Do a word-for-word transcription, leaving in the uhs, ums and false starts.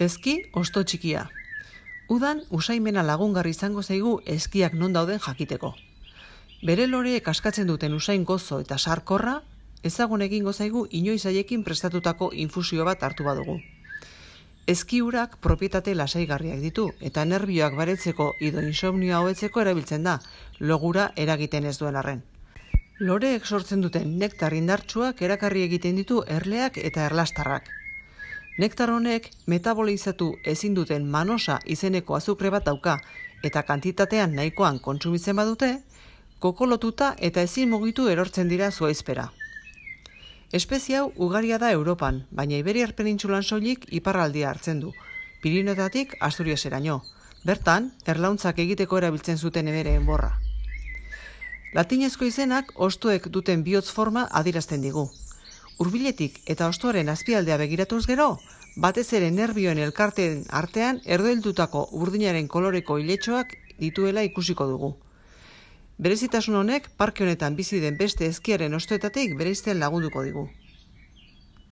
Eski osto txikia. Udan usaimena lagungarri izango zaigu eskiak non dauden jakiteko. Bere loreek askatzen duten usain gozo eta sarkorra, ezagun egingo zaigu inoiz haiekin prestatutako infusio bat hartu badugu. Eski urak propietate lasaigarriak ditu eta nerbioak baretzeko edo insomnioa hobetzeko erabiltzen da, logura eragiten ez duen arren. Loreek sortzen duten nektar indartsuak erakarri egiten ditu erleak eta erlastarrak. Nektar honek metabolizatu ezin duten manosa izeneko azukre bat dauka eta kantitatean nahikoan kontsumitzen badute, kokolotuta eta ezin mugitu erortzen dira zuaizpera. Espezie hau ugaria da Europan, baina Iberiar penintsulan soilik iparraldia hartzen du, Pirinioetatik Asturiaseraino. Bertan, erlauntzak egiteko erabiltzen zuten emereen borra. Latinezko izenak hostoek duten bihotz forma adierazten digu. Hurbiletik eta hostoaren azpialdea begiratuz gero, batez ere nerbioen elkarteen artean erdoildutako urdinaren koloreko iletxoak dituela ikusiko dugu. Berezitasun honek parke honetan bizi den beste eskiaren hostoetatik bereizten lagunduko digu.